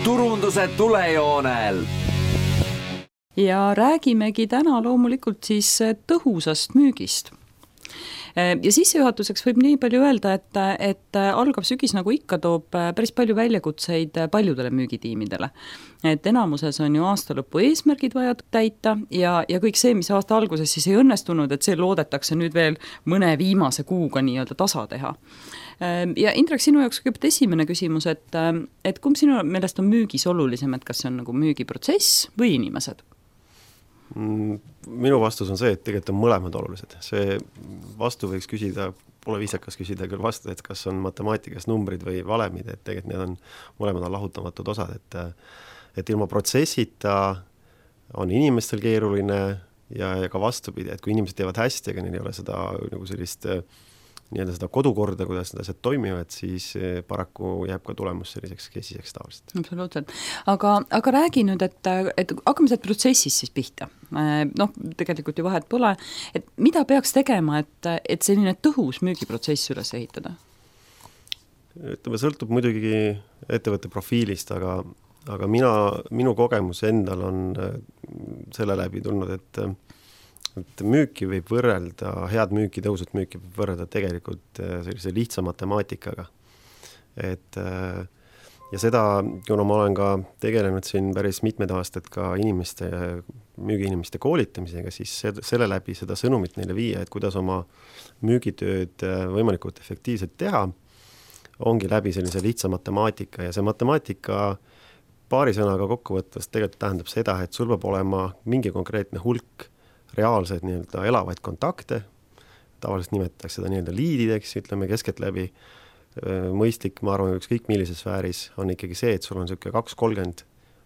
turunduse tulejoonel. Ja räägimegi täna loomulikult siis tõhusast müügist. Ja sissejuhatuseks võib nii palju öelda, et algav sügis nagu ikka toob päris palju väljakutseid paljudele müügitiimidele. Et enamuses on ju aasta lõpu eesmärgid vaja täita ja kõik see, mis aasta alguses siis ei õnnestunud, et see loodetakse nüüd veel mõne viimase kuuga nii-öelda tasa teha. Ja Indrek, sinu jaoks kõigepealt esimene küsimus, et kumb sinu meelest on müügis olulisem, et kas see on nagu müügiprotsess või inimesed? Minu vastus on see, et tegelikult on mõlemad olulised. See vastu võiks küsida, pole viisakas küsida küll vastu, et kas on matemaatikas numbrid või valemid, et tegelikult need on mõlemad lahutamatud osad, et ilma protsessita on inimestel keeruline ja ka vastupidi, et kui inimesed teevad hästi, aga neil ei ole seda nagu sellist nii-öelda seda kodukorda, kuidas need asjad toimivad, siis paraku jääb ka tulemus selliseks kesiseks tavaliselt. Absoluutselt. Aga räägi nüüd, et hakkame sealt protsessis siis pihta. Tegelikult ju vahet pole. Et mida peaks tegema, et selline tõhus müügiprotsess üles ehitada? Ütleme, sõltub muidugi ettevõtte profiilist, aga minu kogemus endal on selle läbi tulnud, et müüki võib võrrelda, head müüki, tõusut müüki võib võrrelda tegelikult sellise lihtsa matemaatikaga. Ja seda, kuna ma olen ka tegelenud siin päris mitmed aastad ka müügiinimeste koolitamisega, siis selle läbi seda sõnumit neile viia, et kuidas oma müügitööd võimalikult efektiivselt teha, ongi läbi sellise lihtsa matemaatika ja see matemaatika paari sõnaga kokkuvõttes tegelikult tähendab seda, et sul peab olema mingi konkreetne hulk reaalseid nii-öelda elavaid kontakte, tavaliselt nimetatakse seda nii-öelda liidideks, ütleme kesketläbi mõistlik, ma arvan, ükskõik millises sfääris on ikkagi see, et sul on selline 2-30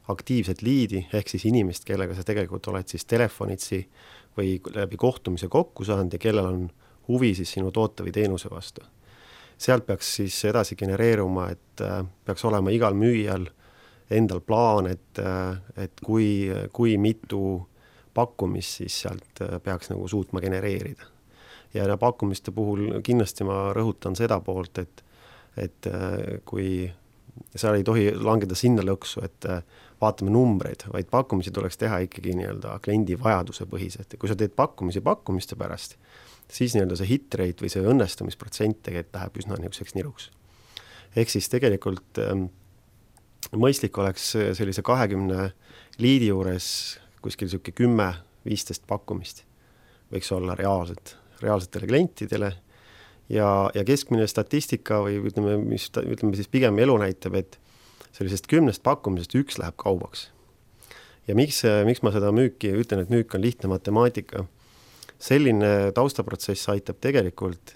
aktiivset liidi, ehk siis inimest, kellega sa tegelikult oled siis telefonitsi või läbi kohtumise kokku saanud ja kellel on huvi siis sinu toote või teenuse vastu. Sealt peaks siis edasi genereeruma, et peaks olema igal müüjal endal plaan, et kui mitu pakkumist siis sealt peaks nagu suutma genereerida. Ja pakkumiste puhul kindlasti ma rõhutan seda poolt, et kui seal ei tohi langeda sinna lõksu, et vaatame numbreid, vaid pakkumisi tuleks teha ikkagi nii-öelda kliendi vajaduse põhiselt. Ja kui sa teed pakkumiste pärast, siis nii-öelda see hit rate või see õnnestumisprotsent tegelikult läheb üsna niisuguseks niruks. Ehk siis tegelikult mõistlik oleks sellise 20 liidi juures kuskil selline 10-15 pakkumist võiks olla reaalsetele klientidele ja keskmine statistika või ütleme siis pigem elu näitab, et sellisest 10 pakkumisest 1 läheb kaubaks. Ja miks ma seda müüki ütlen, et müük on lihtne matemaatika? Selline taustaprotsess aitab tegelikult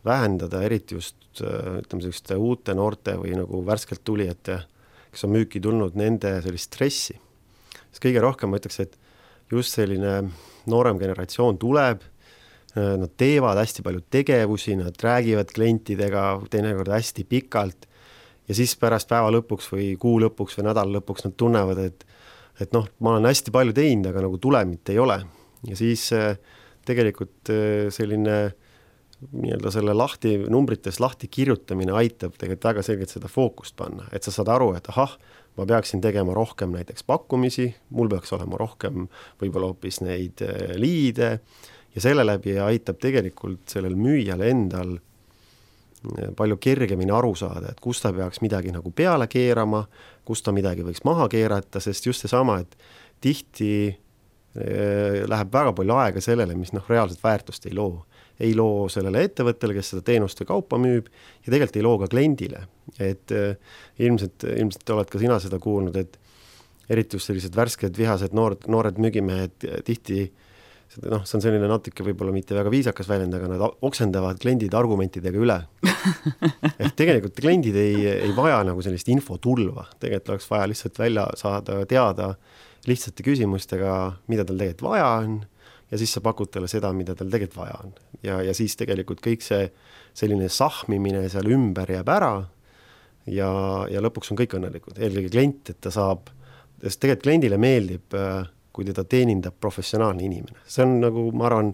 vähendada eriti just ütleme uute noorte või nagu värskelt tulijate, kes on müüki tulnud, nende sellist stressi. Kõige rohkem ma ütleks, et just selline noorem generatsioon tuleb, nad teevad hästi palju tegevusi, nad räägivad klientidega teinekord hästi pikalt ja siis pärast päeva lõpuks või kuu lõpuks või nädala lõpuks nad tunnevad, et ma olen hästi palju teinud, aga nagu tulemit ei ole. Ja siis tegelikult selline nii-öelda selle numbritest lahti kirjutamine aitab tegelikult väga selgelt seda fookust panna, et sa saad aru, et ma peaksin tegema rohkem näiteks pakkumisi, mul peaks olema rohkem võib-olla hoopis neid liide ja selle läbi aitab tegelikult sellel müüjal endal palju kergemini aru saada, et kus ta peaks midagi nagu peale keerama, kus ta midagi võiks maha keerata, sest just seesama, et tihti läheb väga palju aega sellele, mis reaalset väärtust ei loo. Ei loo sellele ettevõttele, kes seda teenust või kaupa müüb ja tegelikult ei loo ka kliendile. Et ilmselt oled ka sina seda kuulnud, et eriti just sellised värsked, vihased noored müügimehed tihti, see on selline natuke võib-olla mitte väga viisakas väljend, aga nad oksendavad kliendid argumentidega üle. Et tegelikult kliendid ei vaja nagu sellist infotulva. Tegelikult oleks vaja lihtsalt välja saada teada lihtsate küsimustega, mida tal tegelikult vaja on ja siis sa pakud talle seda, mida tal tegelikult vaja on. Ja siis tegelikult kõik see selline sahmimine seal ümber jääb ära ja lõpuks on kõik õnnelikud. Eelkõige klient, et ta saab, sest tegelikult kliendile meeldib, kui teda teenindab professionaalne inimene. See on nagu, ma arvan,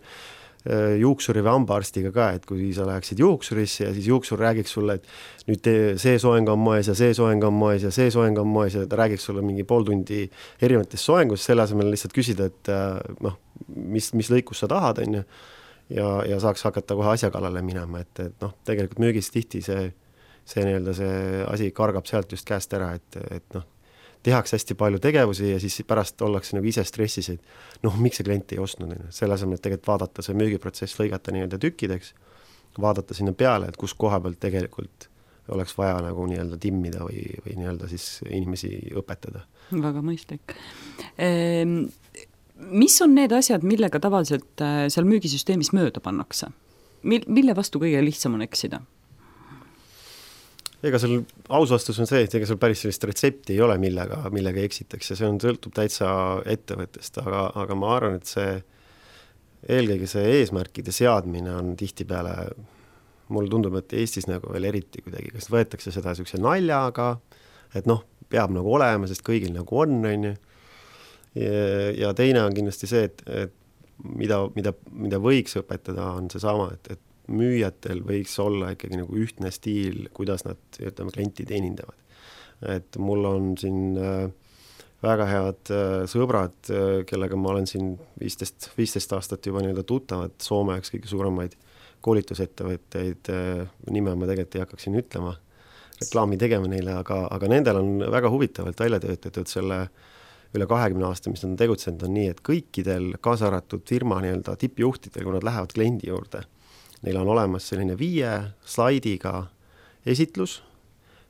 juuksuri või hambaarstiga ka, et kui sa läheksid juuksurisse ja siis juuksur räägiks sulle, et nüüd see soeng on moes ja see soeng on moes ja see soeng on moes ja ta räägiks sulle mingi pool tundi erinevatest soengust, selle asemel lihtsalt küsida, et mis lõikus sa tahad, on ju, ja saaks hakata kohe asja kallale minema, et tegelikult müügis tihti see nii-öelda see asi kargab sealt just käest ära, et tehakse hästi palju tegevusi ja siis pärast ollakse nagu ise stressis, et miks see klient ei ostnud, selle asemel, et tegelikult vaadata see müügiprotsess, lõigata nii-öelda tükkideks, vaadata sinna peale, et kus koha pealt tegelikult oleks vaja nagu nii-öelda timmida või nii-öelda siis inimesi õpetada. Väga mõistlik. Mis on need asjad, millega tavaliselt seal müügisüsteemis mööda pannakse? Mille vastu kõige lihtsam on eksida? Ega seal aus vastus on see, et ega seal päris sellist retsepti ei ole, millega eksitakse, see sõltub täitsa ettevõttest, aga ma arvan, et eelkõige see eesmärkide seadmine on tihtipeale, mulle tundub, et Eestis nagu veel eriti kuidagi, kas võetakse seda niisuguse naljaga, et peab nagu olema, sest kõigil nagu on ju. Ja teine on kindlasti see, et mida võiks õpetada, on see sama, et müüjatel võiks olla ikkagi nagu ühtne stiil, kuidas nad klienti teenindavad. Et mul on siin väga head sõbrad, kellega ma olen siin 15 aastat juba nii-öelda tuttavad, Soome üks kõige suuremaid koolitusettevõtteid, nime ma tegelikult ei hakkaks siin ütlema, reklaami tegema neile, aga nendel on väga huvitavalt välja töötatud selle üle 20 aasta, mis nad on tegutsenud, on nii, et kõikidel kaasa arvatud firma nii-öelda tippjuhtidel, kui nad lähevad kliendi juurde, neil on olemas selline 5 slaidiga esitlus,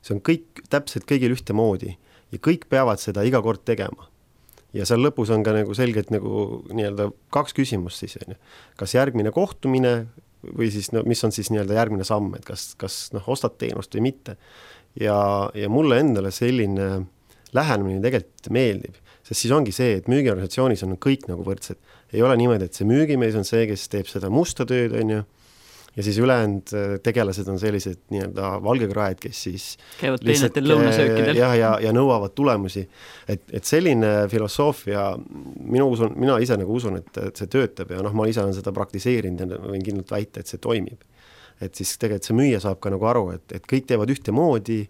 see on kõik täpselt kõigil ühtemoodi ja kõik peavad seda iga kord tegema. Ja seal lõpus on ka nagu selgelt nagu nii-öelda 2 küsimust siis, kas järgmine kohtumine või siis mis on siis nii-öelda järgmine samm, et kas ostad teenust või mitte. Ja mulle endale selline lähenemine tegelikult meeldib, sest siis ongi see, et müügiorganisatsioonis on kõik nagu võrdsed. Ei ole niimoodi, et see müügimees on see, kes teeb seda musta tööd, on ju, ja siis ülejäänud tegelased on sellised nii-öelda valgekraed, kes siis käivad teenetel lõunasöökidel. Ja nõuavad tulemusi. Et selline filosoofia, mina ise nagu usun, et see töötab ja ma ise olen seda praktiseerinud ja võin kindlalt väita, et see toimib. Et siis tegelikult see müüja saab ka nagu aru, et kõik teevad ühte moodi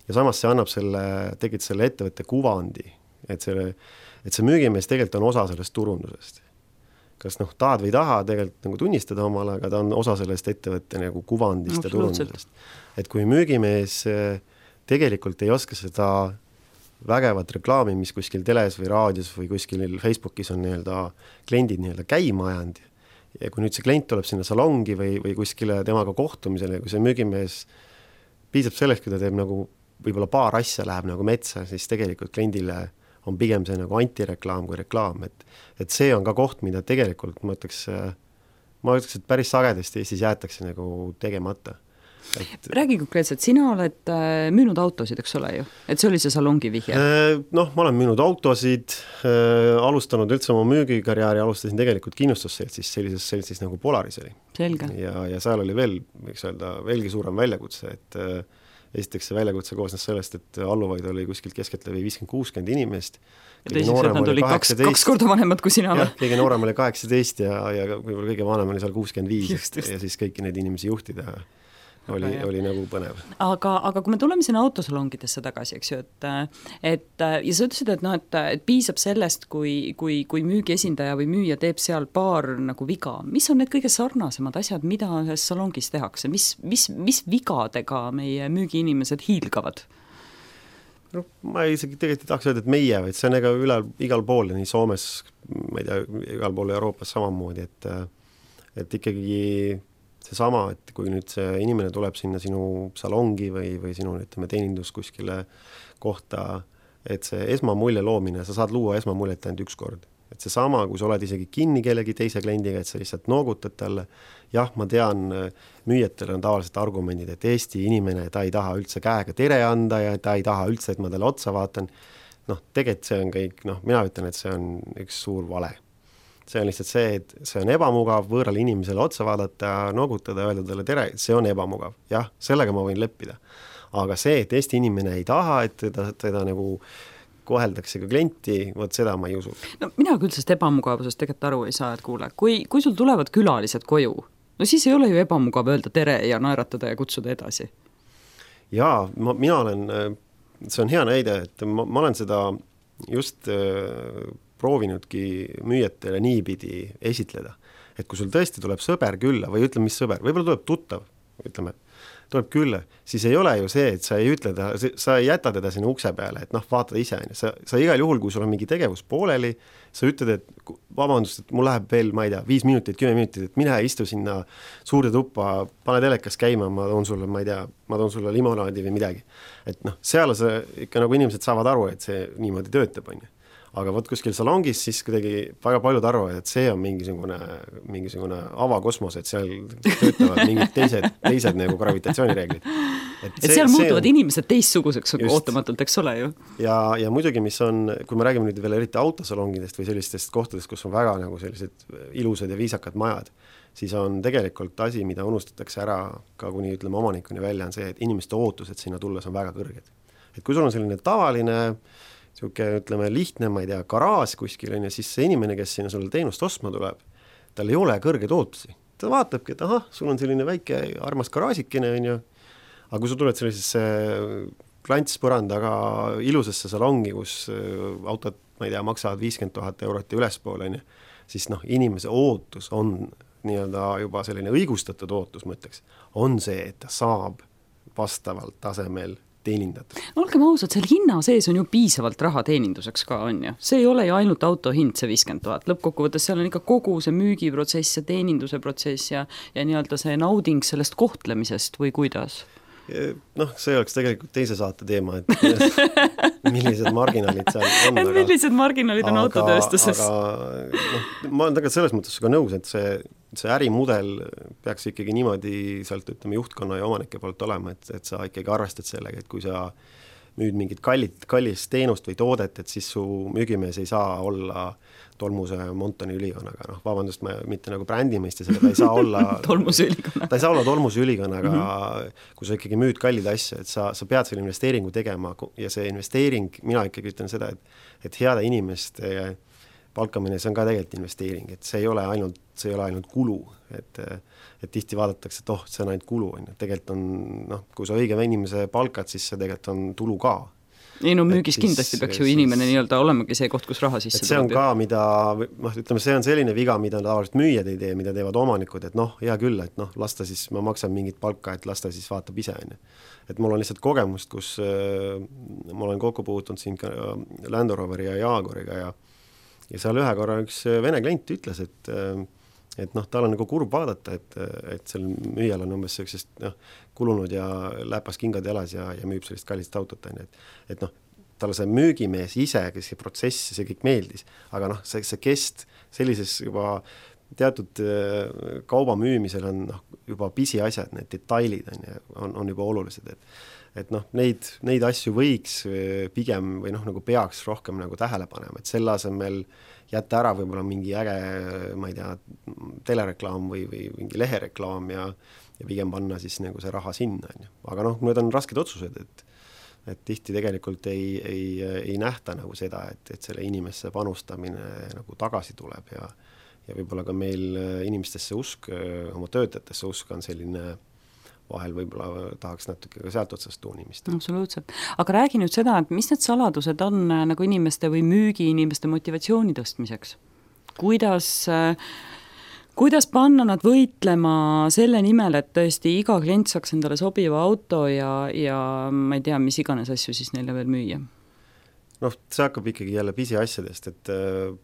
ja samas see annab tegelikult selle ettevõtte kuvandi, et see müügimees tegelikult on osa sellest turundusest. Kas tahad või taha tegelikult nagu tunnistada omale, aga ta on osa sellest ettevõtte nagu kuvandist ja turundusest. Et kui müügimees tegelikult ei oska seda vägevat reklaami, mis kuskil teles või raadios või kuskil Facebookis on nii-öelda kliendid nii-öelda käima ajanud ja kui nüüd see klient tuleb sinna salongi või kuskile temaga kohtumisele, kui see müügimees piisab sellest, kui ta teeb nagu võib-olla paar asja läheb nagu metsa, siis tegelikult kliendile on pigem see nagu antireklaam kui reklaam, et see on ka koht, mida tegelikult ma ütleks, et päris sagedasti Eestis jäetakse nagu tegemata. Räägi konkreetselt, sina oled müünud autosid, eks ole ju? Et see oli see salongi vihje? Ma olen müünud autosid, alustanud üldse oma müügikarjääri, alustasin tegelikult kindlustusseltsis, sellises seltsis nagu Polaris oli. Selge. Ja seal oli veel, võiks öelda, veelgi suurem väljakutse, et esiteks see väljakutse koosnes sellest, et alluvaid oli kuskilt keskeltläbi 50-60 inimest. Ja teiseks, et nad oli kaks korda vanemad kui sina. Kõige noorem oli 18 ja kõige vanem oli seal 65 ja siis kõiki neid inimesi juhtida oli nagu põnev. Aga kui me tuleme sinna autosalongidesse tagasi, eks ju, et ja sa ütlesid, et piisab sellest, kui müügiesindaja või müüja teeb seal paar nagu viga. Mis on need kõige sarnasemad asjad, mida salongis tehakse? Mis vigadega meie müügiinimesed hiilgavad? Ma isegi tegelikult ei tahaks öelda, et meie, vaid see on igal pool, nii Soomes, ma ei tea, igal pool Euroopas samamoodi, et ikkagi seesama, et kui nüüd see inimene tuleb sinna sinu salongi või sinu teenindus kuskile kohta, et see esmamulje loomine, sa saad luua esmamuljet ainult üks kord. Et seesama, kui sa oled isegi kinni kellegi teise kliendiga, et sa lihtsalt noogutad talle, jah, ma tean, müüjatel on tavaliselt argumendid, et Eesti inimene, ta ei taha üldse käega tere anda ja ta ei taha üldse, et ma talle otsa vaatan. Tegelikult see on kõik, mina ütlen, et see on üks suur vale. See on lihtsalt see, et see on ebamugav võõrale inimesele otsa vaadata, noogutada, öelda talle tere, see on ebamugav. Jah, sellega ma võin leppida. Aga see, et Eesti inimene ei taha, et teda nagu koheldakse ka klienti, vot seda ma ei usu. No mina küll sellest ebamugavusest tegelikult aru ei saa, et kuule, kui sul tulevad külalised koju, no siis ei ole ju ebamugav öelda tere ja naeratada ja kutsuda edasi. Jaa, mina olen, see on hea näide, et ma olen seda just proovinudki müüjatele niipidi esitleda, et kui sul tõesti tuleb sõber külla või ütleme, mis sõber, võib-olla tuleb tuttav, ütleme, tuleb külla, siis ei ole ju see, et sa ei ütle ta, sa ei jäta teda sinna ukse peale, et noh, vaatad ise, sa igal juhul, kui sul on mingi tegevus pooleli, sa ütled, et vabandust, et mul läheb veel, ma ei tea, 5 minutit, 10 minutit, et mine istu sinna suurde tuppa, pane telekas käima, ma toon sulle, ma ei tea, ma toon sulle limonaadi või midagi. Et noh, seal see ikka nagu inimesed saavad aru, et see niimoodi töötab, on ju. Aga võt kuskil salongis siis kuidagi väga paljud arvavad, et see on mingisugune avakosmos, et seal töötavad mingid teised nagu gravitatsioonireeglid. Et seal muutuvad inimesed teistsuguseks ootamatult, eks ole ju. Ja muidugi, mis on, kui me räägime nüüd veel eriti autosalongidest või sellistest kohtadest, kus on väga nagu sellised ilusad ja viisakad majad, siis on tegelikult asi, mida unustatakse ära ka kuni ütleme omanikuni välja, on see, et inimeste ootused sinna tulles on väga kõrged. Et kui sul on selline tavaline siuke, ütleme, lihtne, ma ei tea, garaaž kuskil on ja siis see inimene, kes sinna sulle teenust ostma tuleb, tal ei ole kõrgeid ootusi. Ta vaatabki, et ahah, sul on selline väike armas garaažikene, on ju, aga kui sa tuled sellisesse klantspõrandaga ilusasse salongi, kus autod, ma ei tea, maksavad 50 000 eurot ja ülespoole, on ju, siis noh, inimese ootus on nii-öelda juba selline õigustatud ootus, ma ütleks, on see, et ta saab vastavalt tasemel teenindatud. No olgem ausad, seal hinna sees on ju piisavalt raha teeninduseks ka, on ju. See ei ole ju ainult auto hind, see 50 000. Lõppkokkuvõttes seal on ikka kogu see müügiprotsess ja teeninduse protsess ja nii-öelda see nauding sellest kohtlemisest või kuidas? Noh, see oleks tegelikult teise saate teema, et millised marginaalid seal on. Millised marginaalid on autotööstuses? Aga ma olen tegelikult selles mõttes ka nõus, et see ärimudel peaks ikkagi niimoodi sealt ütleme juhtkonna ja omanike poolt olema, et sa ikkagi arvestad sellega, et kui sa müüd mingit kallist teenust või toodet, et siis su müügimees ei saa olla tolmuse Montoni ülikonnaga, noh, vabandust, ma mitte nagu brändi mõistes, aga ta ei saa olla tolmuse ülikonna. Ta ei saa olla tolmuse ülikonnaga, kui sa ikkagi müüd kallid asja, et sa pead selle investeeringu tegema ja see investeering, mina ikkagi ütlen seda, et heade inimeste palkamine, see on ka tegelikult investeering, et see ei ole ainult kulu, et tihti vaadatakse, et see on ainult kulu, tegelikult on, noh, kui sa õige inimese palkad, siis see tegelikult on tulu ka. Ei no müügis kindlasti peaks ju inimene nii-öelda olemagi see koht, kus raha sisse tuleb. See on ka, mida, ütleme, see on selline viga, mida tavaliselt müüjad ei tee, mida teevad omanikud, et noh, hea küll, et noh, lasta siis, ma maksan mingit palka, et lasta siis vaatab ise. Et mul on lihtsalt kogemust, kus ma olen kokku puutunud siin ka Land Roveri ja Jaaguriga ja seal ühe korra üks vene klient ütles, et noh, tal on nagu kurb vaadata, et seal müüjal on umbes sellisest kulunud ja läpas kingad jalas ja müüb sellist kallist autot, et noh, talle see müügimees ise, kes see protsess, see kõik meeldis, aga noh, see kest sellises juba teatud kauba müümisel on juba pisiasjad, need detailid on juba olulised, et noh, neid asju võiks pigem või noh, nagu peaks rohkem nagu tähele panema, et selle asemel jätta ära võib-olla mingi äge, ma ei tea, telereklaam või mingi lehereklaam ja pigem panna siis nagu see raha sinna. Aga noh, need on rasked otsused, et tihti tegelikult ei nähta nagu seda, et selle inimesse panustamine nagu tagasi tuleb ja võib-olla ka meil inimestesse usk, oma töötajatesse usk on selline vahel võib-olla tahaks natuke ka sealt otsast tuunimist. Absoluutselt. Aga räägi nüüd seda, et mis need saladused on nagu inimeste või müügi inimeste motivatsiooni tõstmiseks? Kuidas panna nad võitlema selle nimel, et tõesti iga klient saaks endale sobiva auto ja ma ei tea, mis iganes asju siis neile veel müüa? Noh, see hakkab ikkagi jälle pisiasjadest, et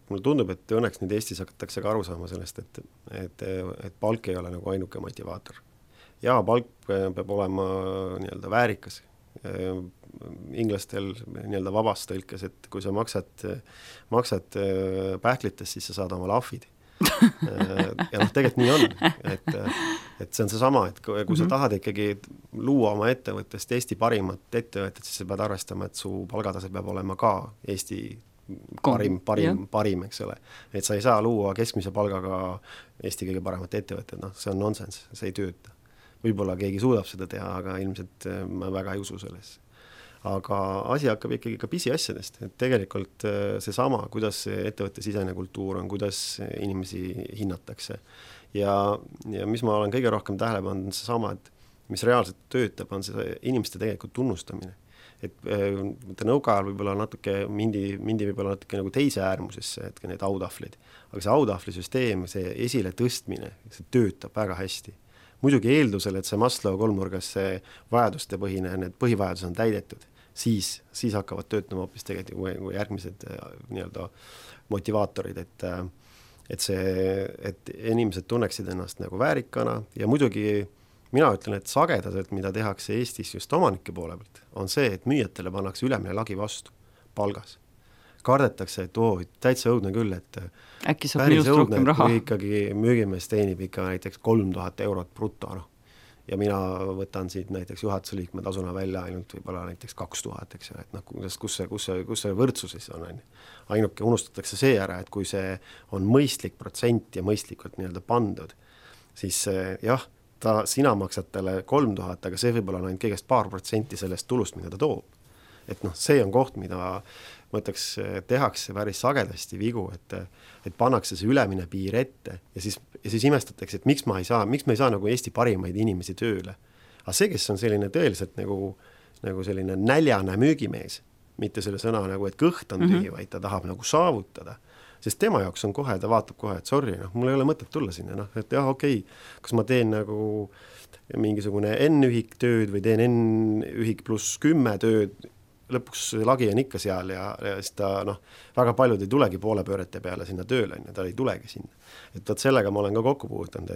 mulle tundub, et õnneks nüüd Eestis hakatakse ka aru saama sellest, et palk ei ole nagu ainuke motivaator. Ja palk peab olema nii-öelda väärikas. Inglastel nii-öelda vabast tõlkes, et kui sa maksad pähklitest, siis sa saad oma lahvid. Ja noh, tegelikult nii on, et see on see sama, et kui sa tahad ikkagi luua oma ettevõttest Eesti parimat ettevõttet, siis sa pead arvestama, et su palgatase peab olema ka Eesti parim, eks ole. Et sa ei saa luua keskmise palgaga Eesti kõige paremat ettevõttet, noh, see on nonsense, see ei tööta. Võib-olla keegi suudab seda teha, aga ilmselt ma väga ei usu selles. aga asi hakkab ikkagi ka pisiasjadest, et tegelikult seesama, kuidas ettevõtte sisene kultuur on, kuidas inimesi hinnatakse ja mis ma olen kõige rohkem tähele pannud, on seesama, et mis reaalselt töötab, on see inimeste tegelikult tunnustamine. Et nõukaajal võib-olla natuke mindi võib-olla natuke nagu teise äärmusesse, et need autahvlid, aga see autahvlisüsteem, see esile tõstmine, see töötab väga hästi. Muidugi eeldusel, et see Maslow kolmnurgas see vajaduste põhine, need põhivajadused on täidetud, siis hakkavad töötama hoopis tegelikult järgmised nii-öelda motivaatorid, et inimesed tunneksid ennast nagu väärikana ja muidugi mina ütlen, et sagedaselt, mida tehakse Eestis just omanike poole pealt, on see, et müüjatele pannakse ülemine lagi vastu palgas. Kardetakse, et täitsa õudne küll, et äkki saab minust rohkem raha. Kui ikkagi müügimees teenib ikka näiteks 3000 eurot bruto, ja mina võtan siit näiteks juhatuse liikme tasuna välja ainult võib-olla näiteks 2000, eks ju, et kus see võrdsus siis on. Ainuke unustatakse see ära, et kui see on mõistlik protsent ja mõistlikult nii-öelda pandud, siis jah, sina maksad talle 3000, aga see võib-olla on ainult kõigest paar protsenti sellest tulust, mida ta toob. Et see on koht, mida mõtleks, tehakse päris sagedasti vigu, et pannakse see ülemine piir ette ja siis imestatakse, et miks me ei saa nagu Eesti parimaid inimesi tööle. Aga see, kes on selline tõeliselt nagu selline näljane müügimees, mitte selle sõna nagu, et kõht on tühi, vaid ta tahab nagu saavutada. Sest tema jaoks on kohe, ta vaatab kohe, et sorry, mul ei ole mõtet tulla sinna, et jah, okei, kas ma teen nagu mingisugune N-ühik tööd või teen N-ühik pluss 10 tööd, lõpuks lagi on ikka seal ja siis ta, väga paljud ei tulegi poole pöörete peale sinna tööle, ta ei tulegi sinna. Et sellega ma olen ka kokku puudutanud,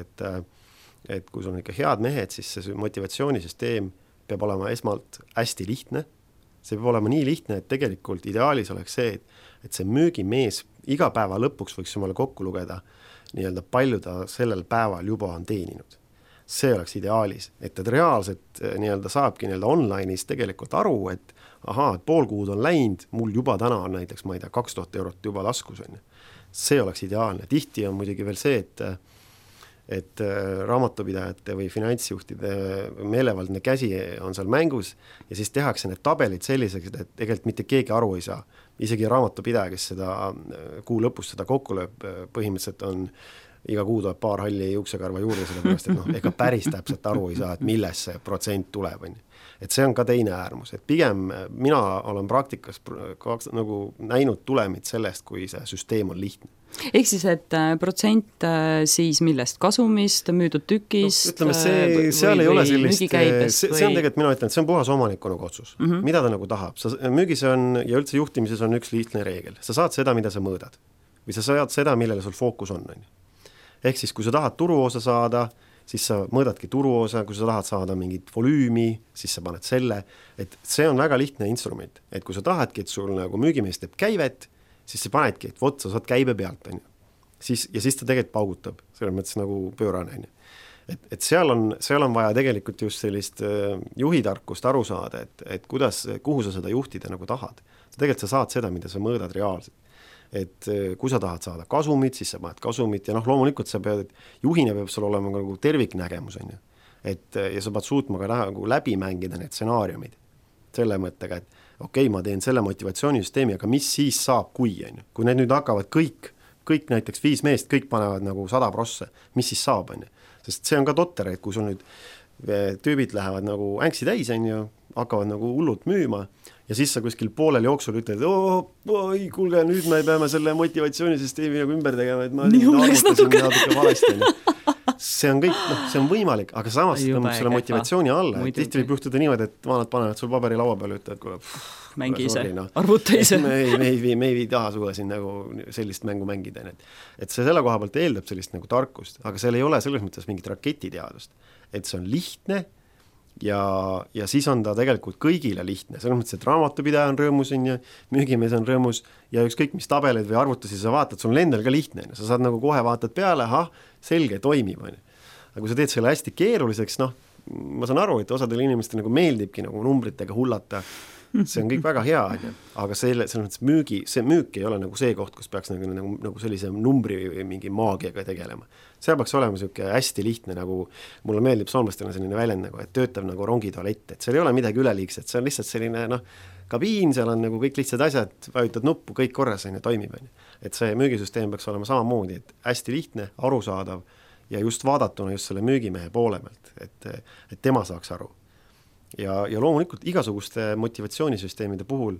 et kui sul on ikka head mehed, siis see motivatsioonisüsteem peab olema esmalt hästi lihtne. See peab olema nii lihtne, et tegelikult ideaalis oleks see, et see müügimees iga päeva lõpuks võiks jumala kokku lugeda nii-öelda palju ta sellel päeval juba on teeninud. See oleks ideaalis, et reaalselt nii-öelda saabki nii-öelda online'is tegelikult aru, et pool kuud on läinud, mul juba täna on näiteks, ma ei tea, 2000 eurot juba laskus on. See oleks ideaalne. Tihti on muidugi veel see, et raamatupidajate või finantsjuhtide meelevaldne käsi on seal mängus ja siis tehakse need tabelid selliseks, et tegelikult mitte keegi aru ei saa. Isegi raamatupidaja, kes seda kuu lõpus seda kokku lööb, põhimõtteliselt on iga kuu tuleb paar halli juuksekarva juurde, sellepärast, et ega päris täpselt aru ei saa, et milles see protsent tuleb. Et see on ka teine äärmus, et pigem mina olen praktikas nagu näinud tulemit sellest, kui see süsteem on lihtne. Ehk siis, et protsent siis millest kasumist, müüdud tükist ütleme, seal ei ole sellist, see on tegelikult, mina ütlen, et see on puhas omaniku nagu otsus, mida ta nagu tahab. Müügis on ja üldse juhtimises on üks lihtne reegel. Sa saad seda, mida sa mõõdad või sa saad seda, millele sul fookus on. Ehk siis, kui sa tahad turuosa saada, siis sa mõõdadki turuosa, kui sa tahad saada mingit volüümi, siis sa paned selle, et see on väga lihtne instrument, et kui sa tahadki, et sul nagu müügimees teeb käivet, siis sa panedki, et sa saad käibe pealt, siis ta tegelikult paugutab, selles mõttes nagu pöörane. Et seal on vaja tegelikult just sellist juhitarkust aru saada, et kuhu sa seda juhtida nagu tahad. Tegelikult sa saad seda, mida sa mõõdad reaalselt. Et kui sa tahad saada kasumit, siis sa paned kasumit ja loomulikult sa pead, juhina peab sul olema nagu terviknägemus, ja sa pead suutma ka nagu läbi mängida need stsenaariumid selle mõttega, et okei, ma teen selle motivatsioonisüsteemi, aga mis siis saab, kui need nüüd hakkavad kõik näiteks 5 meest, kõik panevad nagu 100%, mis siis saab, sest see on ka totter, et kui sul nüüd tüübid lähevad nagu ängsi täis, hakkavad nagu hullult müüma ja siis sa kuskil poolel jooksul ütled, oi, kuulge, nüüd me peame selle motivatsioonisüsteemi nagu ümber tegema, et ma natuke valesti. See on kõik, see on võimalik, aga samas selle motivatsiooni alla, et tihti võib juhtuda niimoodi, et vanad panevad sul paberi laua peale, ütlevad, kuule, mängi ise, arvuta ise. Me ei taha sulle siin nagu sellist mängu mängida. Et see selle koha pealt eeldab sellist nagu tarkust, aga seal ei ole selles mõttes mingit raketiteadust, et see on lihtne ja siis on ta tegelikult kõigile lihtne, selles mõttes, et raamatupidaja on rõõmus ja müügimees on rõõmus ja ükskõik mis tabeleid või arvutusi sa vaatad, sul on endal ka lihtne, sa saad nagu kohe vaatad peale, selge, toimib. Aga kui sa teed selle hästi keeruliseks, ma saan aru, et osadel inimestel nagu meeldibki nagu numbritega hullata see on kõik väga hea, aga selles mõttes see müük ei ole nagu see koht, kus peaks nagu sellise numbri või mingi maagiaga tegelema. See peaks olema selline hästi lihtne, nagu mulle meeldib soomlastena selline väljend, nagu, et töötab nagu rongitoalett, et seal ei ole midagi üleliigset, see on lihtsalt selline kabiin, seal on nagu kõik lihtsad asjad, vajutad nuppu, kõik korras on ja toimib. Et see müügisüsteem peaks olema samamoodi, et hästi lihtne, arusaadav ja just vaadatuna just selle müügimehe poole pealt, et tema saaks aru. Ja loomulikult igasuguste motivatsioonisüsteemide puhul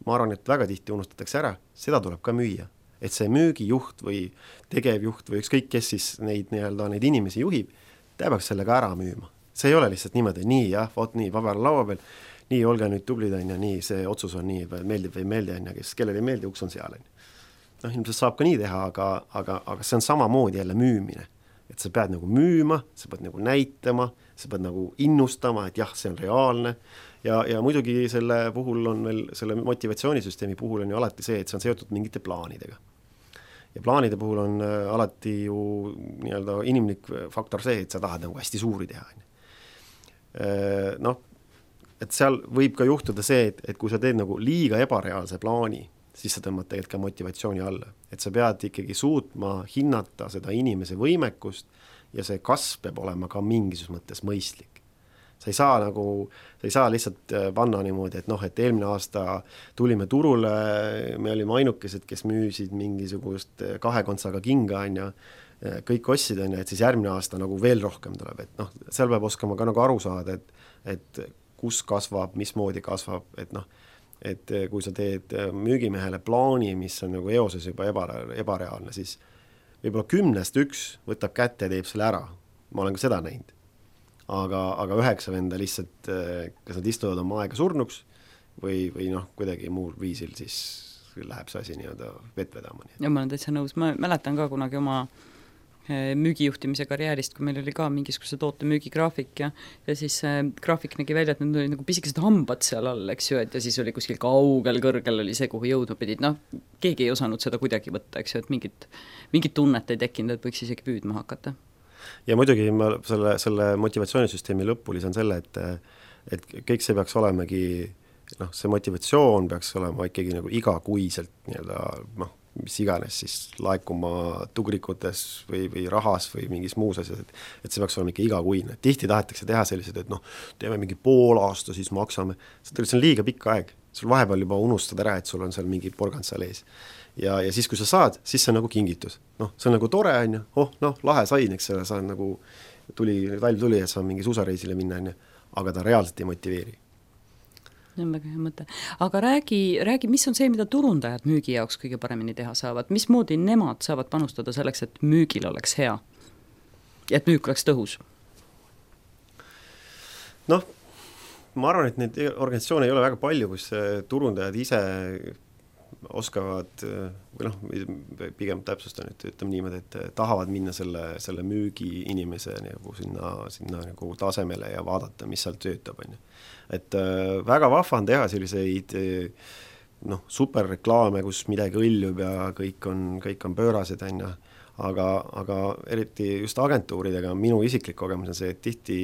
ma arvan, et väga tihti unustatakse ära, seda tuleb ka müüa. Et see müügijuht või tegevjuht või ükskõik kes siis neid inimesi juhib, ta peaks selle ka ära müüma. See ei ole lihtsalt niimoodi, nii jah, vot nii, paber laua peal, nii, olge nüüd tublid, nii, see otsus on nii, meeldib või ei meeldi, kes kellel ei meeldi, uks on seal. Ilmselt saab ka nii teha, aga see on samamoodi jälle müümine. Et sa pead nagu müüma, sa pead nagu näitama, sa pead nagu innustama, et jah, see on reaalne ja muidugi selle puhul on veel, selle motivatsioonisüsteemi puhul on ju alati see, et see on seotud mingite plaanidega. Ja plaanide puhul on alati ju inimlik faktor see, et sa tahad nagu hästi suuri teha. Et seal võib ka juhtuda see, et kui sa teed nagu liiga ebareaalse plaani, siis sa tõmbad tegelikult ka motivatsiooni alla. Et sa pead ikkagi suutma hinnata seda inimese võimekust ja see kasv peab olema ka mingis mõttes mõistlik. Sa ei saa lihtsalt panna niimoodi, et eelmine aasta tulime turule, me olime ainukesed, kes müüsid mingisugust 2 kontsaga kinga, kõik ostsid, et siis järgmine aasta nagu veel rohkem tuleb. Et seal peab oskama ka nagu aru saada, et kus kasvab, mismoodi kasvab, et kui sa teed müügimehele plaani, mis on nagu eoses juba ebareaalne, siis võib-olla 10-st 1 võtab kätte ja teeb selle ära. Ma olen ka seda näinud. Aga 9 venda lihtsalt, kas nad istuvad oma aega surnuks või kuidagi muul viisil, siis läheb see asi vett vedama. Ja ma olen täitsa nõus. Ma mäletan ka kunagi oma müügijuhtimise karjäärist, kui meil oli ka mingisuguse toote müügigraafik ja siis graafik nägi välja, et need oli nagu pisikesed hambad seal all, eks ju, et ja siis oli kuskil kaugel kõrgel oli see, kuhu jõudma pidid. Keegi ei osanud seda kuidagi võtta, eks ju, et mingit tunnet ei tekkinud, et võiks isegi püüdma hakata. Ja muidugi ma selle motivatsioonisüsteemi lõppu lisan selle, et kõik see peaks olemegi, see motivatsioon peaks olema ikkagi nagu igakuiselt mis iganes siis laekuma tugrikutes või rahas või mingis muus asjas, et see peaks olema ikka igakuine. Tihti tahetakse teha sellised, et teeme mingi pool aasta, siis maksame. See on liiga pikk aeg. Sul vahepeal juba unustad ära, et sul on seal mingi porgand seal ees. Ja siis, kui sa saad, siis see on nagu kingitus. See on nagu tore, lahe sain, eks selle saan nagu talv tuli, et saan mingi suusareisile minna, aga ta reaalselt ei motiveeri. See on väga hea mõte. Aga räägi, mis on see, mida turundajad müügi jaoks kõige paremini teha saavad? Mismoodi nemad saavad panustada selleks, et müügil oleks hea? Ja et müük oleks tõhus? Ma arvan, et neid organisatsioone ei ole väga palju, kus turundajad ise oskavad, või pigem täpsustan, et ütleme niimoodi, et tahavad minna selle müügi inimese nagu sinna nagu tasemele ja vaadata, mis seal töötab. Et väga vahva on teha selliseid superreklaame, kus midagi õljub ja kõik on pöörased, aga eriti just agentuuridega minu isiklik kogemus on see, et tihti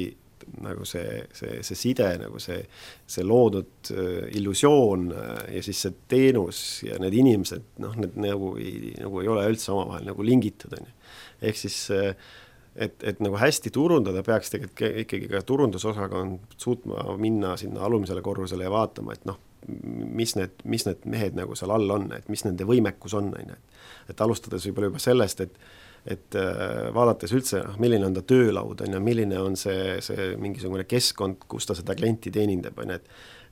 nagu see side, nagu see loodud illusioon ja siis see teenus ja need inimesed, need nagu ei ole üldse omavahel nagu lingitud. Ehk siis, et nagu hästi turundada peaks tegelikult ikkagi ka turundusosakond suutma minna sinna alumisele korrusele ja vaatama, et mis need mehed nagu seal all on, et mis nende võimekus on. Et alustades võib-olla juba sellest, et vaadates üldse, milline on ta töölaud, milline on see mingisugune keskkond, kus ta seda klienti teenindab,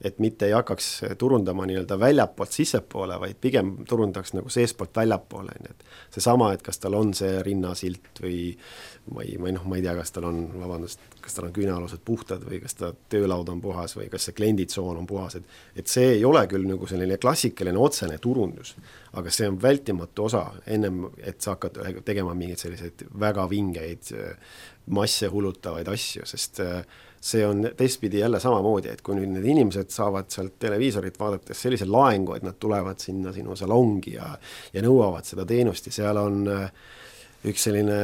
et mitte ei hakkaks turundama väljapoolt sissepoole, vaid pigem turundaks nagu seespoolt väljapoole. See sama, et kas tal on see rinnasilt või ma ei tea, kas tal on küünealused puhtad või kas ta töölaud on puhas või kas see klienditsoon on puhas. Et see ei ole küll nagu selline klassikaline otsene turundus, aga see on vältimatu osa ennem, et sa hakkad tegema mingeid selliseid väga vingeid masse hulutavaid asju, sest see on teistpidi jälle samamoodi, et kui nüüd need inimesed saavad sealt televiisorit vaadates sellise laengu, et nad tulevad sinna sinu salongi ja nõuavad seda teenust ja seal on üks selline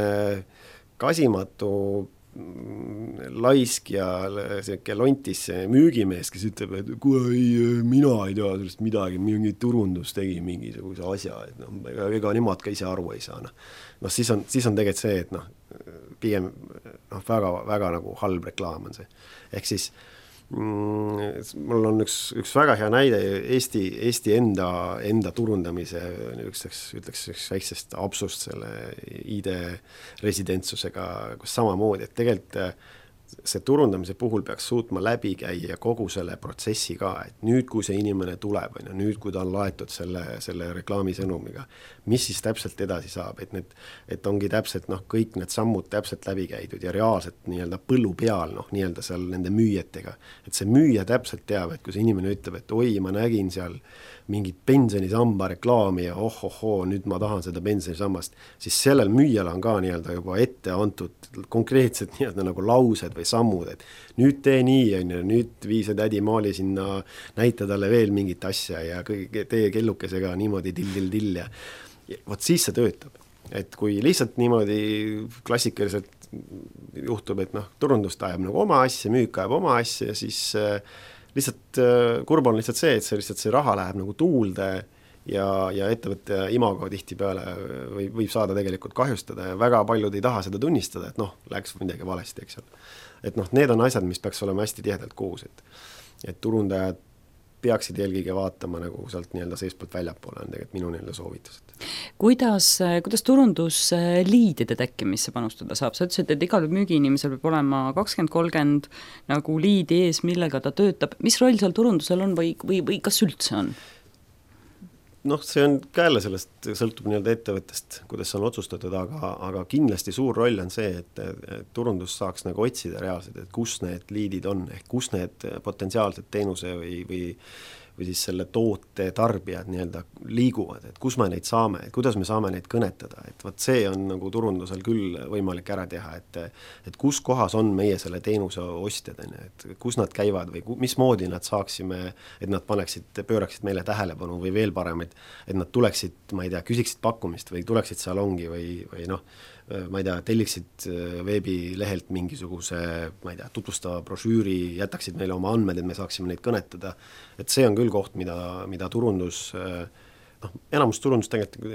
kasimatu laisk ja selline lontis müügimees, kes ütleb, et mina ei tea sellest midagi, mingi turundus tegi mingisuguse asja, et noh, ega nemad ka ise aru ei saa. Noh, siis on tegelikult see, et noh, pigem väga, väga nagu halb reklaam on see. Ehk siis mul on üks väga hea näide Eesti enda turundamise ütleks väiksest absust selle ID-residentsusega, kus samamoodi, et tegelikult see turundamise puhul peaks suutma läbi käia kogu selle protsessi ka, et nüüd, kui see inimene tuleb, nüüd, kui ta on laetud selle reklaamisõnumiga, mis siis täpselt edasi saab, et ongi täpselt kõik need sammud täpselt läbi käidud ja reaalselt nii-öelda põllu peal, nii-öelda seal nende müüjatega, et see müüja täpselt teab, et kui see inimene ütleb, et oi, ma nägin seal mingit pensionisamba reklaami ja nüüd ma tahan seda pensionisammast, siis sellel müüjal on ka nii-öelda juba ette antud konkreetselt nii-öelda nagu laused või sammud, et nüüd tee nii, nüüd vii see tädi Maali sinna, näita talle veel mingit asja ja tee kellukesega niimoodi till ja vot siis see töötab. Et kui lihtsalt niimoodi klassikaliselt juhtub, et turundust ajab nagu oma asja, müük ajab oma asja, siis lihtsalt kurb on lihtsalt see, et see raha läheb nagu tuulde ja ettevõtte imago tihtipeale võib saada tegelikult kahjustada ja väga paljud ei taha seda tunnistada, et läks midagi valesti, eks ole. Et need on asjad, mis peaks olema hästi tihedalt koos, et turundajad peaksid eelkõige vaatama nagu sealt nii-öelda seestpoolt väljapoole on tegelikult minu nii-öelda soovitused. Kuidas turundusliidide tekkimisse panustada saab? Sa ütlesid, et igal müügiinimesel peab olema 20-30 nagu liidi ees, millega ta töötab. Mis roll seal turundusel on või kas üldse on? See on ka jälle sellest, sõltub nii-öelda ettevõttest, kuidas on otsustatud, aga kindlasti suur roll on see, et turundus saaks nagu otsida reaalselt, et kus need liidid on, ehk kus need potentsiaalsed teenuse või siis selle toote tarbijad nii-öelda liiguvad, et kus me neid saame, et kuidas me saame neid kõnetada, et võt see on nagu turundusel küll võimalik ära teha, et kus kohas on meie selle teenuse ostjad, et kus nad käivad või mismoodi nad saaksime, et nad pööraksid meile tähelepanu või veel parem, et nad tuleksid, ma ei tea, küsiksid pakkumist või tuleksid salongi või ma ei tea, telliksid veebilehelt mingisuguse, ma ei tea, tutvustava brošüüri, jätaksid meile oma andmed, et me saaksime neid kõnetada. Et see on küll koht, mida turundus, enamus turundus tegelikult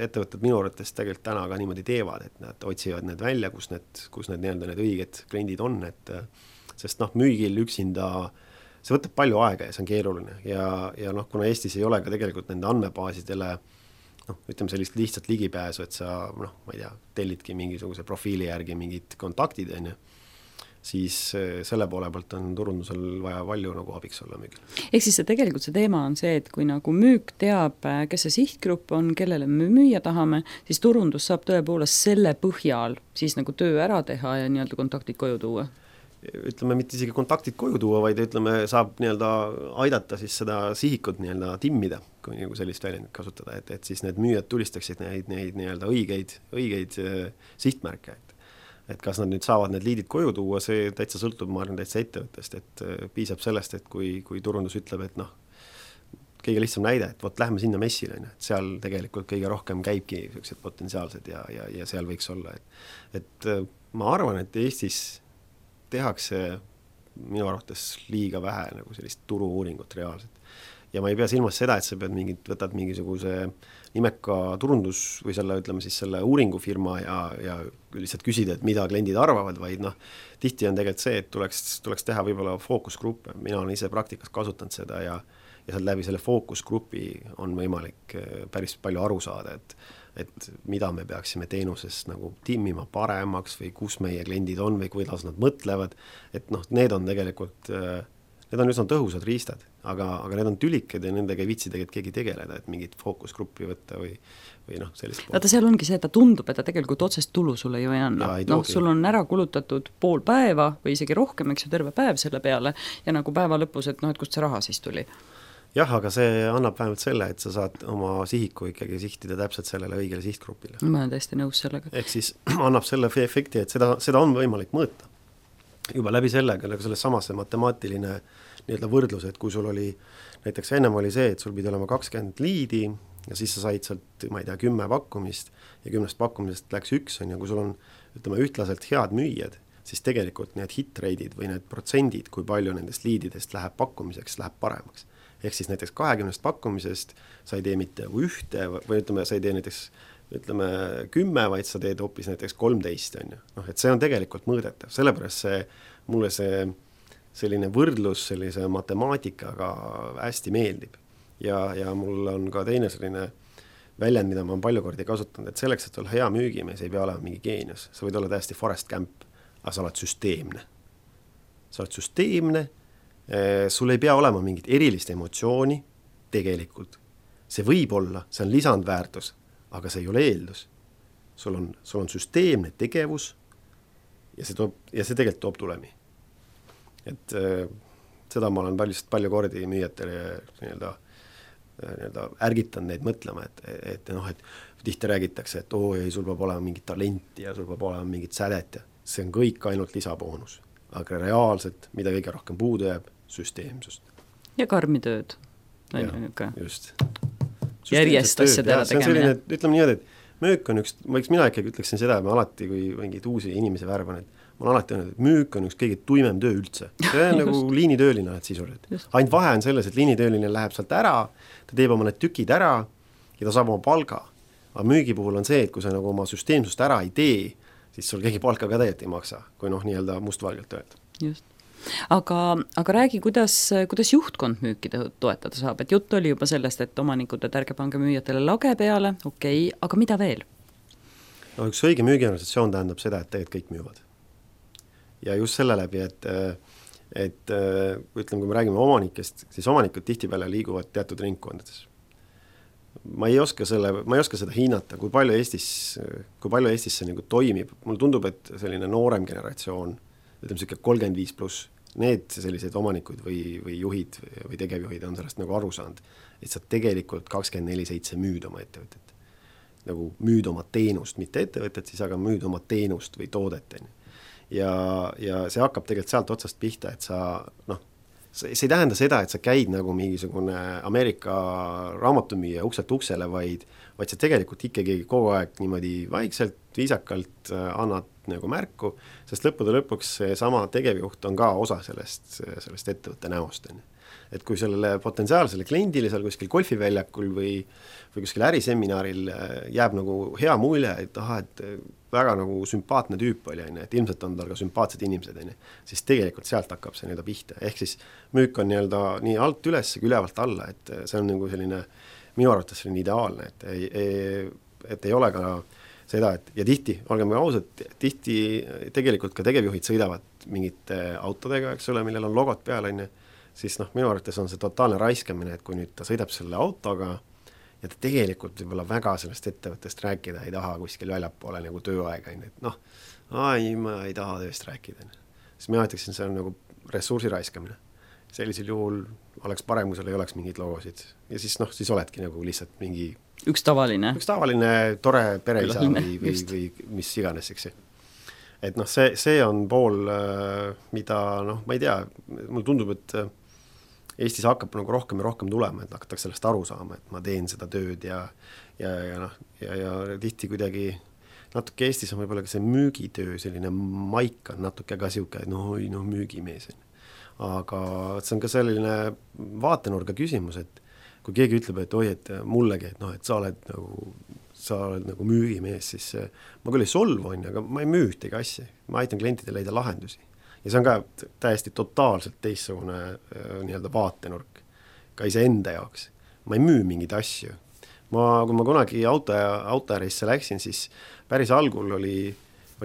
ettevõtted minu arvates tegelikult täna ka niimoodi teevad, et nad otsivad need välja, kus need nii-öelda need õiged kliendid on, sest müügil üksinda see võtab palju aega ja see on keeruline ja kuna Eestis ei ole ka tegelikult nende andmebaasidele ütleme sellist lihtsalt ligipääsu, et sa, ma ei tea, tellidki mingisuguse profiili järgi mingid kontaktid, siis selle poole pealt on turundusel vaja palju nagu abiks olla müügil. Ehk siis tegelikult see teema on see, et kui nagu müük teab, kes see sihtgrupp on, kellele me müüa tahame, siis turundus saab tõepoolest selle põhjal siis nagu töö ära teha ja nii-öelda kontaktid koju tuua. Ütleme, mitte isegi kontaktid koju tuua, vaid saab nii-öelda aidata siis seda sihikut nii-öelda timmida, kui nagu sellist väljendit kasutada, et siis need müüjad tulistaksid neid nii-öelda õigeid sihtmärke, et kas nad nüüd saavad need liidid koju tuua, see täitsa sõltub, ma arvan, täitsa ettevõttest, et piisab sellest, et kui turundus ütleb, et kõige lihtsam näide, et lähme sinna messile, et seal tegelikult kõige rohkem käibki sellised potentsiaalsed ja seal võiks olla, et ma arvan, et Eestis tehakse minu arvates liiga vähe nagu sellist turu-uuringut reaalselt. Ja ma ei pea silmas seda, et sa võtad mingisuguse nimeka turundus või selle uuringufirma ja lihtsalt küsida, et mida kliendid arvavad, vaid tihti on tegelikult see, et tuleks teha võib-olla fookusgruppe. Mina olen ise praktikas kasutanud seda ja sealt läbi selle fookusgrupi on võimalik päris palju aru saada, et mida me peaksime teenuses nagu timmima paremaks või kus meie kliendid on või kuidas nad mõtlevad, et need on tegelikult, need on üsna tõhusad riistad, aga need on tülikad ja nendega ei viitsi tegelikult keegi tegeleda, et mingit fookusgruppi võtta või sellist poolt. Vaata, seal ongi see, et ta tundub, et ta tegelikult otsest tulu sulle ju ei anna. Sul on ära kulutatud pool päeva või isegi rohkem, eks ju, terve päev selle peale ja nagu päeva lõpus, et kust see raha siis tuli. Jah, aga see annab vähemalt selle, et sa saad oma sihiku ikkagi sihtida täpselt sellele õigele sihtgrupile. Ma olen täiesti nõus sellega. Ehk siis annab selle efekti, et seda on võimalik mõõta. Juba läbi sellega, selles samas matemaatiline nii-öelda võrdlus, et kui sul oli, näiteks ennem oli see, et sul pidi olema 20 liidi ja siis sa said sealt, ma ei tea, 10 pakkumist ja 10 pakkumisest läks 1, ja kui sul on, ütleme, ühtlaselt head müüjad, siis tegelikult need hit-rate'id või need protsendid, kui palju nendest liididest läheb pakkumiseks, läheb paremaks. Ehk siis näiteks 20 pakkumisest sa ei tee mitte ühte või ütleme, sa ei tee näiteks 10, vaid sa teed hoopis näiteks 13, on ju. Noh, et see on tegelikult mõõdetav, sellepärast mulle selline võrdlus sellise matemaatikaga hästi meeldib. Ja mul on ka teine selline väljend, mida ma olen palju kordi kasutanud, et selleks, et olla hea müügimees, ei pea olema mingi geenius. Sa võid olla täiesti Forrest Gump, aga sa oled süsteemne. Sa oled süsteemne, sul ei pea olema mingit erilist emotsiooni tegelikult. See võib olla, see on lisandväärtus, aga see ei ole eeldus. Sul on süsteemne tegevus ja see tegelikult toob tulemi. Et seda ma olen palju kordi müüjatele nii-öelda ärgitan neid mõtlema, et tihti räägitakse, et ei, sul peab olema mingit talenti ja sul peab olema mingit sädet ja see on kõik ainult lisaboonus. Aga reaalselt, mida kõige rohkem puudu jääb, süsteemsust. Ja karmi tööd. Just. Järjest asjadele tegemine. Ütleme niimoodi, et müük on mina ikkagi ütleksin seda, et ma alati, kui mingid uusi inimesi värvan, et ma olen alati öelnud, et müük on üks kõige tuimem töö üldse. See on nagu liinitööline sisuliselt. Ainult vahe on selles, et liinitööline läheb sealt ära, ta teeb oma need tükid ära ja ta saab oma palga. Aga müügi puhul on see, et kui sa nagu oma süsteemsust ära ei tee, siis sul keegi palka ka tegelikult ei maksa, kui nii-öelda mustvalgelt öelda. Just. Aga räägi, kuidas juhtkond müüki toetada saab, et jutt oli juba sellest, et omanikud, et ärge pange müüjatele lage peale, okei, aga mida veel? No üks õige müügiorganisatsioon tähendab seda, et tegelikult kõik müüvad. Ja just selle läbi, et ütleme, kui me räägime omanikest, siis omanikud tihtipeale liiguvad teatud ringkondades. Ma ei oska seda hinnata, kui palju Eestis see nagu toimib. Mulle tundub, et selline noorem generatsioon, ütleme siuke 35+, need sellised omanikud või juhid või tegevjuhid on sellest nagu aru saanud, et sa tegelikult 24/7 müüd oma ettevõtet. Nagu müüd oma teenust, mitte ettevõtet, siis aga müüd oma teenust või toodet. Ja see hakkab tegelikult sealt otsast pihta, et see ei tähenda seda, et sa käid nagu mingisugune Ameerika raamatumüüja ukselt uksele, vaid sa tegelikult ikkagi kogu aeg niimoodi vaikselt, viisakalt annad nagu märku, sest lõpuks see sama tegevjuht on ka osa sellest ettevõtte näost. Et kui sellele potentsiaalsele kliendile seal kuskil golfiväljakul või kuskil äriseminaril jääb nagu hea mulje, et väga nagu sümpaatne tüüp oli, et ilmselt on tal ka sümpaatsed inimesed, siis tegelikult sealt hakkab see nii-öelda pihta. Ehk siis müük on nii alt üles kui ülevalt alla, et see on nagu selline, minu arvates selline ideaalne, et ei ole ka seda, et ja tihti, olgem ausad, tihti tegelikult ka tegevjuhid sõidavad mingite autodega, eks ole, millel on logod peal, siis minu arvates on see totaalne raiskamine, et kui nüüd ta sõidab selle autoga ja ta tegelikult võib-olla väga sellest ettevõttest rääkida ei taha kuskil väljapoole nagu tööaega, et ma ei taha tööst rääkida. Siis ma ütleksin, see on nagu ressursi raiskamine. Sellisel juhul oleks parem, kui seal ei oleks mingid logosid. Ja siis oledki nagu lihtsalt mingi üks tavaline tore pereisa või mis iganes, eks. Et see on pool, mida ma ei tea, mulle tundub, et Eestis hakkab nagu rohkem ja rohkem tulema, et hakatakse sellest aru saama, et ma teen seda tööd ja tihti kuidagi natuke Eestis on võib-olla ka see müügitöö, selline maik on natuke ka siuke, müügimees. Aga see on ka selline vaatenurga küsimus, et kui keegi ütleb, et et mullegi, et sa oled nagu müügimees, siis ma küll ei solvu, aga ma ei müü ühtegi asja. Ma aitan klientidele leida lahendusi. Ja see on ka täiesti totaalselt teissugune nii-öelda vaatenurk ka iseenda jaoks. Ma ei müü mingeid asju. Kui ma kunagi autoärisse läksin, siis päris algul oli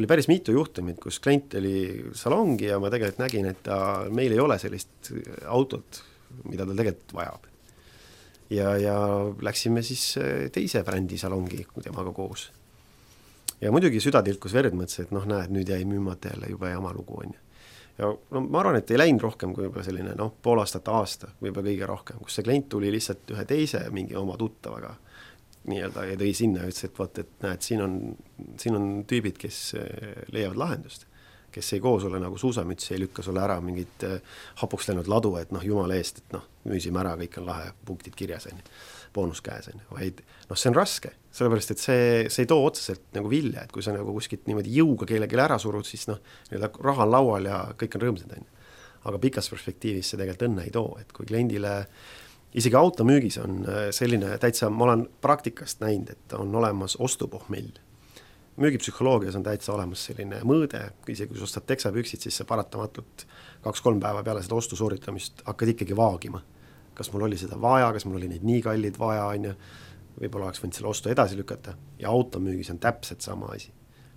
päris mitu juhtumit, kus klient oli salongi ja ma tegelikult nägin, et meil ei ole sellist autot, mida ta tegelikult vajab. Ja läksime siis teise brändi salongi temaga koos. Ja muidugi süda tilkus verd, mõtles, et näed, nüüd jäi müümata jälle juba jama lugu on. Ja ma arvan, et ei läinud rohkem kui juba selline pool aasta, võib-olla kõige rohkem, kus see klient tuli lihtsalt ühe teise mingi oma tuttavaga nii-öelda ja tõi sinna ja ütles, et näed, siin on tüübid, kes leiavad lahendust, kes ei koo sulle nagu suusamütsi, ei lükka sulle ära mingit hapuks läinud ladu, et noh, jumala eest, et noh, müüsime ära, kõik on lahe, punktid kirjas, boonus käes, vaid noh, see on raske, sellepärast, et see ei too otseselt nagu vilja, et kui sa nagu kuskilt niimoodi jõuga kellelegi ära surud, siis noh, raha on laual ja kõik on rõõmsad, aga pikas perspektiivis see tegelikult õnne ei too, et kui kliendile isegi automüügis on selline täitsa, ma olen praktikast näinud, et on olemas ostupohmell. Müügipsühholoogias on täitsa olemas selline mõõde, isegi kui sa ostad teksapüksid, siis sa paratamatult 2-3 päeva peale seda ostu sooritamist hakkad ikkagi vaagima. Kas mul oli seda vaja, kas mul oli neid nii kallid vaja, võib-olla oleks võinud selle ostu edasi lükata ja automüügis on täpselt sama asi.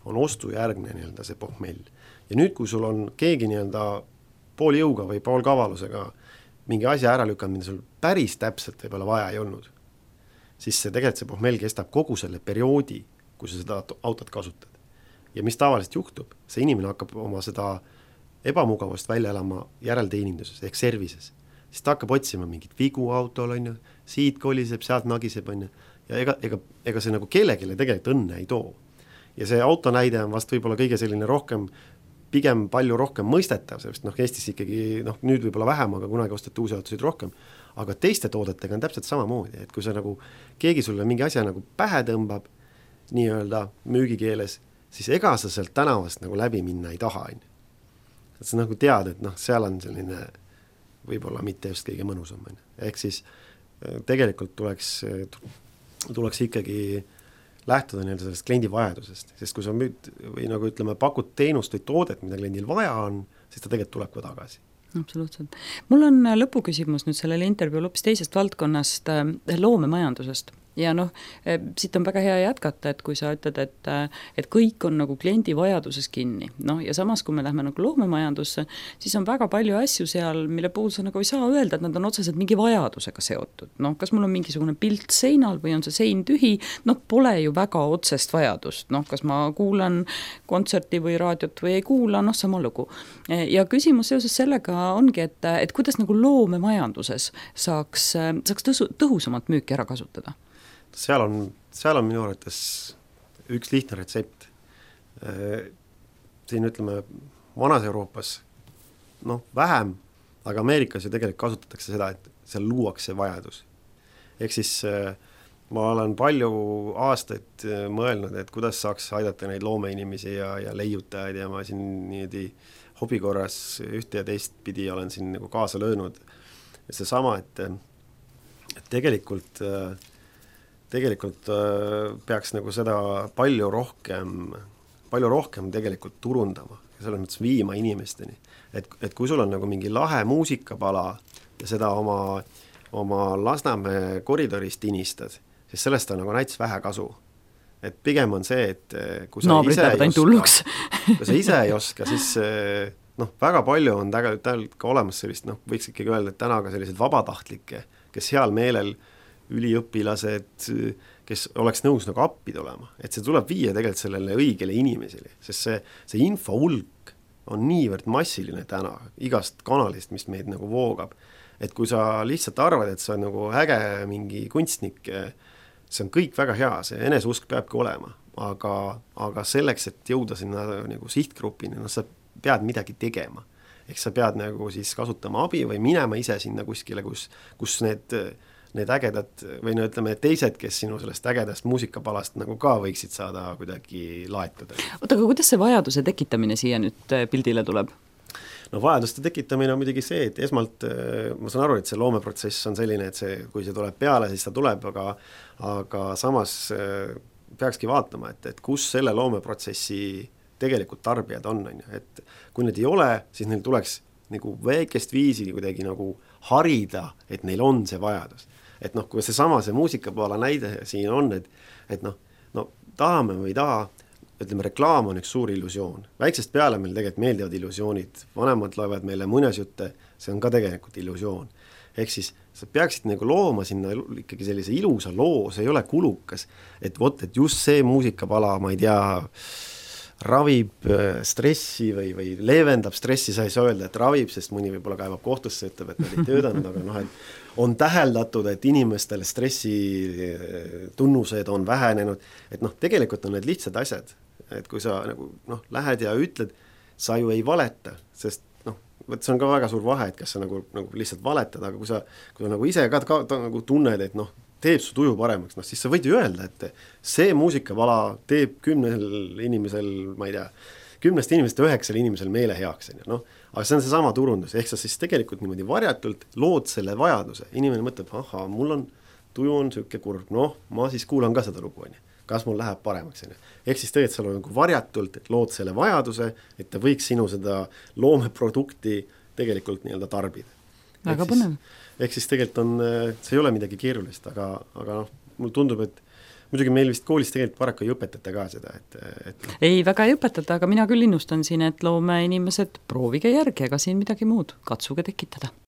On ostujärgne nii-öelda see pohmell. Ja nüüd, kui sul on keegi nii-öelda pool jõuga või pool kavalusega mingi asja ära lükanud, mida sul päris täpselt võib-olla vaja ei olnud, siis see tegelikult see pohmell kestab kogu selle perioodi, kui sa seda autot kasutad. Ja mis tavaliselt juhtub, see inimene hakkab oma seda ebamugavust välja elama järelteeninduses ehk servises. Siis ta hakkab otsima mingit vigu autol, siit koliseb, sealt nagiseb, ja ega see nagu kellegile tegelikult õnne ei too. Ja see auto näide on vast võib-olla kõige selline rohkem, pigem palju rohkem mõistetav, sest noh, Eestis ikkagi, noh, nüüd võib-olla vähem, aga kunagi ostati uusi autosid rohkem, aga teiste toodetega on täpselt samamoodi, et kui sa nagu, keegi sulle mingi asja nagu pähe tõmbab, nii-öelda müügikeeles, siis ega sa sealt tänavast nagu läbi minna ei taha. Et sa nagu tead, et noh, seal on selline võib-olla mitte just kõige mõnusam. Ehk siis tegelikult tuleks ikkagi lähtuda nii-öelda sellest kliendi vajadusest, sest kui sa müüd või nagu ütleme, pakud teenust või toodet, mida kliendil vaja on, siis ta tegelikult tuleb ka tagasi. Absoluutselt. Mul on lõpuküsimus nüüd sellele intervjuul hoopis teisest valdkonnast, loomemajandusest. Ja noh, siit on väga hea jätkata, et kui sa ütled, et kõik on nagu kliendi vajaduses kinni. No, ja samas, kui me lähme nagu loomemajandusse, siis on väga palju asju seal, mille puhul sa nagu ei saa öelda, et nad on otseselt mingi vajadusega seotud. No, kas mul on mingisugune pilt seinal või on see sein tühi? Noh, pole ju väga otsest vajadust. Noh, kas ma kuulan kontserti või raadiot või ei kuula, noh, sama lugu. Ja küsimus seoses sellega ongi, et kuidas nagu loomemajanduses saaks tõhusamalt müüki ära kasutada? Seal on minu arvates üks lihtne retsept. Siin ütleme, vanas Euroopas, noh, vähem, aga Ameerikas ju tegelikult kasutatakse seda, et seal luuakse vajadus. Ehk siis ma olen palju aastaid mõelnud, et kuidas saaks aidata neid loomeinimesi ja leiutajaid ja ma siin niimoodi hobikorras ühte ja teist pidi olen siin nagu kaasa löönud. Ja see sama, et tegelikult peaks nagu seda palju rohkem tegelikult turundama ja selles mõttes viima inimesteni. Et kui sul on nagu mingi lahe muusikapala ja seda oma Lasnamäe koridorist tinistad, siis sellest on nagu näiteks vähe kasu. Et pigem on see, et kui sa ise ei oska, siis noh, väga palju on tegelikult ka olemas sellist, noh, võiks ikkagi öelda, et täna ka sellised vabatahtlikke, kes heal meelel üliõpilased, kes oleks nõus nagu appi tulema. Et see tuleb viia tegelikult sellele õigele inimesele, sest see info hulk on niivõrd massiline täna igast kanalist, mis meid nagu voogab. Et kui sa lihtsalt arvad, et sa on nagu äge mingi kunstnik, see on kõik väga hea, see eneseusk peabki olema, aga selleks, et jõuda sinna nagu sihtgrupini, no sa pead midagi tegema. Ehk sa pead nagu siis kasutama abi või minema ise sinna kuskile, kus need ägedad või no ütleme, teised, kes sinu sellest ägedast muusikapalast nagu ka võiksid saada kuidagi laetada. Oota, aga kuidas see vajaduse tekitamine siia nüüd pildile tuleb? No vajaduste tekitamine on muidugi see, et esmalt ma saan aru, et see loomeprotsess on selline, et kui see tuleb peale, siis ta tuleb, aga samas peakski vaatama, et kus selle loomeprotsessi tegelikult tarbijad on. Et kui need ei ole, siis neil tuleks nagu väikest viisi kuidagi nagu harida, et neil on see vajadus. Et noh, kui see muusikapaala näide siin on, et no tahame või ei taha, ütleme, reklaam on üks suur illusioon. Väiksest peale meil tegelikult meeldivad illusioonid, vanemad loevad meile muinasjutte, see on ka tegelikult illusioon. Ehk siis sa peaksid nagu looma sinna ikkagi sellise ilusa loo, see ei ole kulukas, et just see muusikapala, ma ei tea, ravib stressi või leevendab stressi, sa ei saa öelda, et ravib, sest mõni võib-olla kaevab kohtusse, ütleb, et nad ei töötanud, aga noh, et on täheldatud, et inimestel stressi tunnused on vähenenud, et noh, tegelikult on need lihtsad asjad, et kui sa nagu noh, lähed ja ütled, sa ju ei valeta, sest vot see on ka väga suur vahe, et kas sa nagu lihtsalt valetad, aga kui sa nagu ise ka nagu tunned, et teeb su tuju paremaks, siis sa võid ju öelda, et see muusikavala teeb 10 inimesel, ma ei tea, 10 inimesest 9 inimesel meele heaks, aga see on seesama turundus, ehk sa siis tegelikult niimoodi varjatult lood selle vajaduse, inimene mõtleb, aha, mul on, tuju on siuke kurb, ma siis kuulan ka seda lugu, kas mul läheb paremaks, ehk siis tegelikult seal on nagu varjatult, et lood selle vajaduse, et ta võiks sinu seda loomeprodukti tegelikult nii-öelda tarbida. Väga põnev. Ehk siis tegelikult on, see ei ole midagi keerulist, aga mul tundub, et muidugi meil vist koolis tegelikult paraku ei õpetata ka seda, et ei, väga ei õpetata, aga mina küll innustan siin, et loome inimesed, proovige järgi, ega siin midagi muud, katsuge tekitada.